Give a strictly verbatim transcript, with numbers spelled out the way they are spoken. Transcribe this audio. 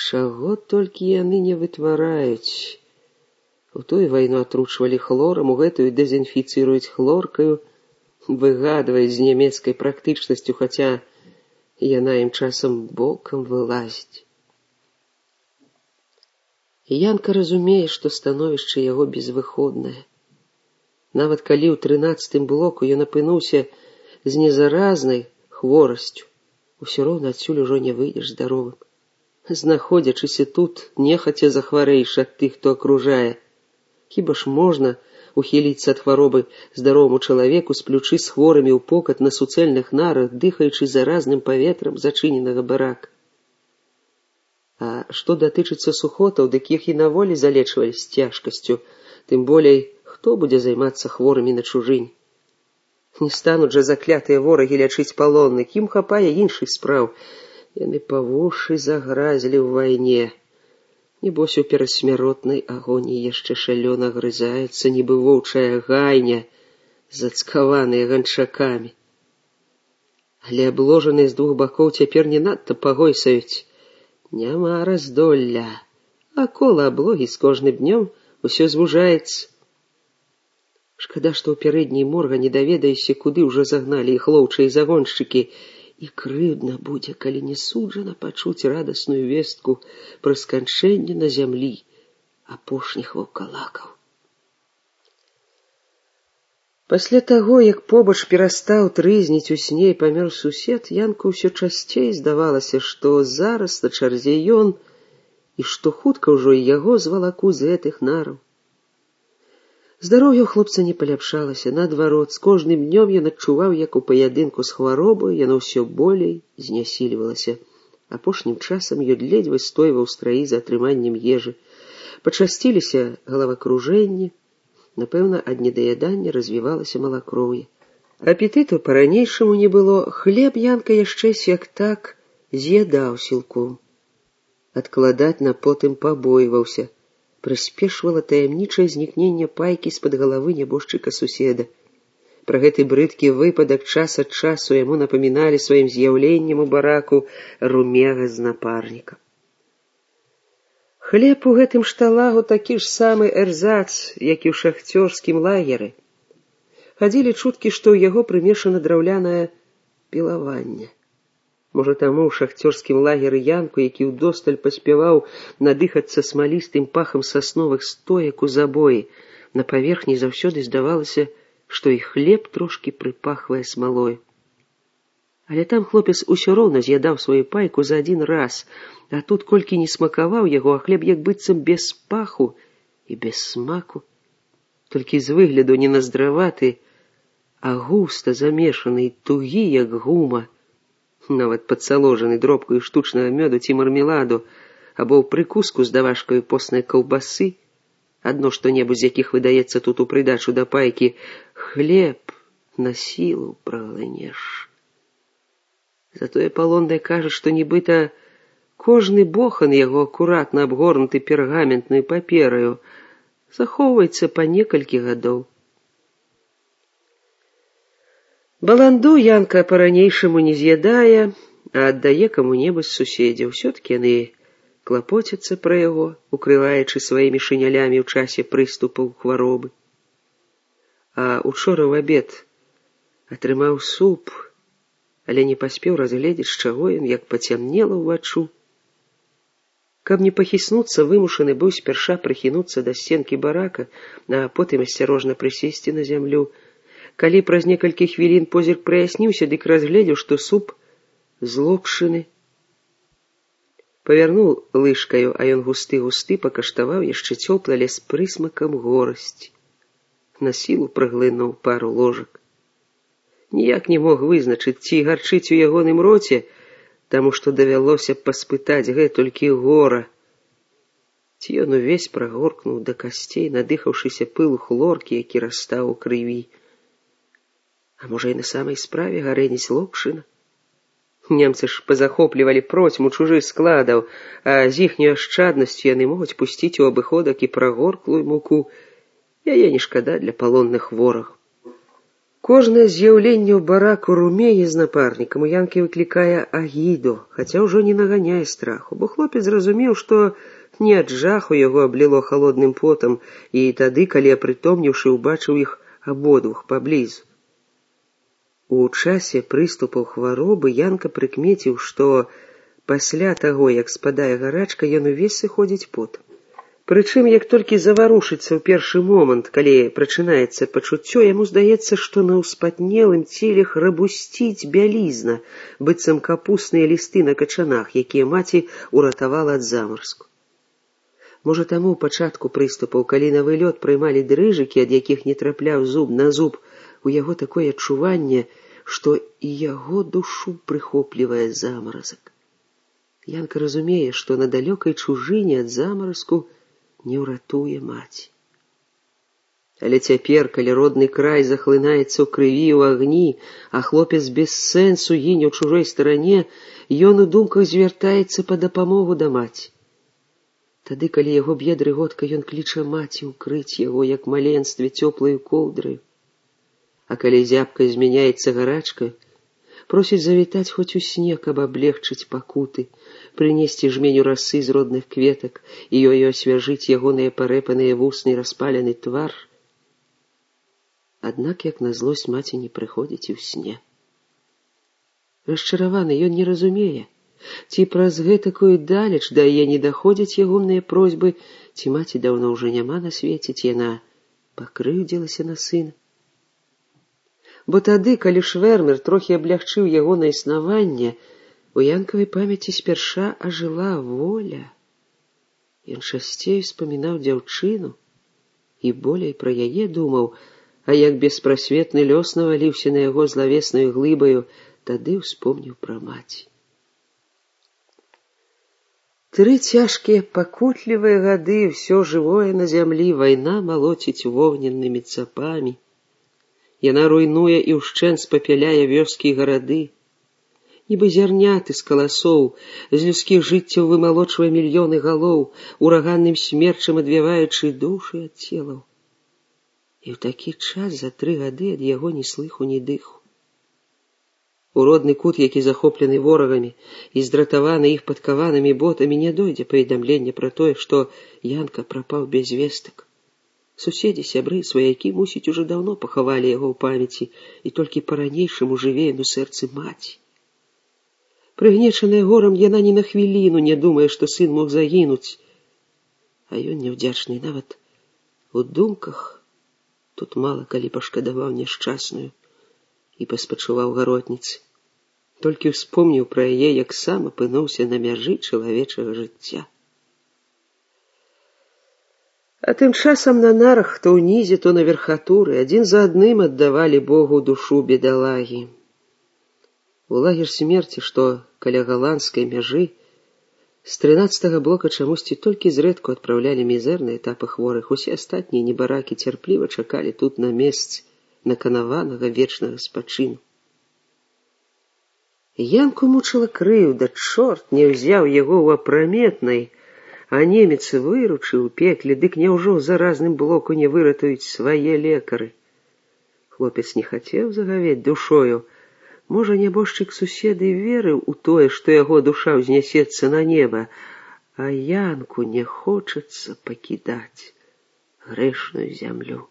чаго толькі яны не вытвараюць. У тую вайну атручвалі хлорам, у гэтую дэзінфіцыруюць хлоркаю, выгадваюць з нямецкай практычнасцю, хаця яна ім часам бокам вылазіць. І Янка разумее, што становішча яго безвыходнае. Нават калі ў трынаццатым блоку ён апынуўся з незаразнай хворасцю, усё роўна адсюль ужо не выйдзеш здаровым. Знаходзячыся тут, нехаця захварэеш ад тых, хто акружае. Хіба ж можна ухіліцца ад хваробы здароваму чалавеку, сплючы з хворымі ў покат на суцэльных нарах, дыхаючы заразным паветрам зачыненага барака? А што датычыцца сухотаў, дык іх і на волі залечвалі з цяжкасцю, тым болей, хто будзе займацца хворымі на чужынь? Не стануць жа заклятыя ворагі лячыць палонных, ім хапае іншых спраў. Яны па вушы загразілі ў вайне. Небось, у перасмяротнай агоніі яшчэ шалёна грызаюцца, нібы воўчая гайня, зацкаваныя ганчакамі. Але абложаныя з двух бакоў цяпер не надта пагойсаюць. Няма раздолля, а кола аблогі з кожным днём усё звужаецца. Шкада, што ў пярэдняй морга не даведаешся, куды ўжо загналі іх лоўчыя загоншчыкі, і крыўдна будзе, калі не суджана пачуць радасную вестку пра сканчэнне на зямлі апошніх ваўкалакаў. Пасля таго, як побач перастаў трызніць у сне і памёр сусед, Янку ўсё часцей здавалася, што зараз на чарзе ён, і што хутка ўжо і яго звалаку з гэтых нараў. Здароўе ў хлопца не паляпшалася, наадварот, з кожным днём ён адчуваў, як у паядынку з хваробаю яно ўсё болей знясільвалася. Апошнім часам ён ледзь выстойваў страі за атрыманнем ежы. Пачасціліся галавакружэнні, напэўна, ад недаядання развівалася малакроўе. Апетыту па-ранейшаму не было, хлеб Янка яшчэ сяк-так з'ядаў сілком. Адкладаць на потым пабойваўся. Прыспешвала таямнічае знікненне пайкі з-пад галавы нябожчыка-суседа. Пра гэты брыдкі выпадак час ад часу яму напаміналі сваім з'яўленнем у бараку румега з напарнікам. Хлеб у гэтым шталагу такі ж самы эрзац, як і ў шахцёрскім лагеры. Хадзілі чуткі, што ў яго прымешана драўлянае пілаванне. Можа, таму ў шахцёрскім лагеры Янку, які ўдосталь паспяваў надыхацца смалістым пахам сасновых стоек у забоі, на паверхні заўсёды здавалася, што і хлеб трошкі прыпахвае смалой. Але там хлопец усё роўна з'ядаў сваю пайку за адзін раз, а тут колькі не смакаваў яго, а хлеб як быццам без паху і без смаку. Толькі з выгляду не наздраваты, а густа замешаны, тугі, як гума, нават падсаложаны дробкаю штучнага мёду ці мармеладу, або ў прыкуску з давашкаю постнай каўбасы, адно што-небудзь з якіх выдаецца тут у прыдачу да пайкі, хлеб на сілу праглынеш. Затое палонная кажа, што нібыта кожны бохан яго акуратна абгорнуты пергаментнай папераю захоўваецца па некалькі гадоў. Баланду Янка па-ранейшаму не з'ядае, а аддае каму-небудзь з суседзяў. Усё-ткі яны клапоцяцца пра яго, укрываючы сваімі шынялямі ў часе прыступаў хваробы. А учора ў абед атрымаў суп, але не паспеў разгледзець, з чаго ён, як пацямнела ўваччу. Каб не пахіснуцца, вымушаны быў спярша прыхінуцца да сценкі барака, а потым асцярожна прысесці на зямлю. Калі праз некалькі хвілін позірк праясніўся, дык разгледзеў, што суп злокшыны. Павярнуў лыжкаю, а ён густы-густы пакаштаваў яшчэ цёплы, але з прысмакам горасці. На сілу праглынуў пару ложак. Ніяк не мог вызначыць, ці гарчыць у ягоным роце, таму што давялося паспытаць гэтулькі гора. Ці ён увесь прагоркнуў да касцей, надыхаўшыся пылу хлоркі, які растаў у крыві. А можа, і на самай справе гарэніць локшына? Немцы ж пазахоплівалі процьму чужых складаў, а з іхняй ашчаднасцю яны могуць пусціць у абыходак і прагорклую муку. Яе не шкада для палонных ворагаў. Кожнае з'яўленне ў бараку румее з напарнікам у Янкі выклікае агіду, хаця ўжо не наганяе страху, бо хлопец зразумеў, што не ад жаху яго абліло халодным потам, і тады, калі апрытомніўшы, убачыў іх абодвух паблізу. У часе прыступаў хваробы Янка прыкмеціў, што пасля таго, як спадае гарачка, ён увесь сыходзіць потам. Прычым, як толькі заварушыцца ў першы момант, калі прачынаецца пачуццё, яму здаецца, што на ўспатнелым целе храбусціць бялізна, быццам капусныя лісты на качанах, якія маці ўратавала ад замарску. Можа, таму ў пачатку прыступаў, калі на вылёт прымалі дрыжыкі, ад якіх не трапляў зуб на зуб, у яго такое адчуванне, што і яго душу прыхоплівае замаразак. Янка разумее, што на далёкай чужыне ад замаразку не ўратуе маці. Але цяпер, калі родны край захлынаецца ў крыві, ў агні, а хлопец без сэнсу гіне ў чужой старане, ён у думках звяртаецца па дапамогу да маці. Тады, калі яго б'е дрыготка, ён кліча маці ўкрыць яго, як маленстве, цёплаю коўдраю. А калі зябка змяняецца гарачкаю, просіць завітаць хоць у сне, каб аблегчыць пакуты, прынесці жменю расы з родных кветак і ёю асвяжыць ягоныя парэпаныя вусны і распалены твар. Аднак, як на злосць, маці не прыходзіць і ў сне. Расчараваны, ён не разумее, ці праз гэтакую далеч да яе не даходзяць ягоныя просьбы, ці маці даўно ўжо няма на свеце, ці яна пакрыўдзілася на сына. Бо тады, калі Швэрмер трохі аблягчыў ягонае існаванне, у Янкавай памяці спярша ажыла воля. Ён часцей успамінаў дзяўчыну і болей пра яе думаў, а як беспрасветны лёс наваліўся на яго злавеснаю глыбаю, тады ўспомніў пра маці. Тры цяжкія пакутлівыя гады ўсё жывое на зямлі вайна малоціць вогненнымі цапамі. Яна руйнуе і ўшчэнт спапяляе вёскі і гарады. Нібы зярняты з каласоў, з людскіх жыццяў вымалочвае мільёны галоў, ураганным смерчам адвяваючы душы ад целаў. І ў такі час за тры гады ад яго ні слыху, ні дыху. У родны кут, які захоплены ворагамі і здратаваны іх падкаванымі ботамі, не дойдзе паведамлення пра тое, што Янка прапаў без вестак. Суседзі, сябры, сваякі, мусіць, ужо даўно пахавалі яго ў памяці, і толькі па-ранейшаму жыве на сэрцы маці. Прыгнечаная горам, яна ні на хвіліну не думае, што сын мог загінуць. А ён няўдзячны нават у думках тут мала калі пашкадаваў няшчасную і паспачуваў гаротніцы. Толькі ўспомніў пра яе, як сам апынуўся на мяжы чалавечага жыцця. А тым часам на нарах, то ўнізе, то на верхатуры, адзін за адным аддавалі Богу душу бедалагі. У лагер смерці, што каля галандскай мяжы, з трынаццатага блока чамусьці толькі зрэдку адпраўлялі мізэрныя этапы хворых, усе астатнія небаракі цярпліва чакалі тут на месцы наканаванага вечнага спачыну. Янку мучыла крыўда, чорт не ўзяў яго ў апраметнай, а немец выручыў у пекле, дык няўжо ў заразным блоку не выратуюць свае лекары. Хлопец не хацеў загавець душою. Можа, нябожчык суседы верыў у тое, што яго душа ўзнясецца на неба, а Янку не хочацца пакідаць грэшную зямлю.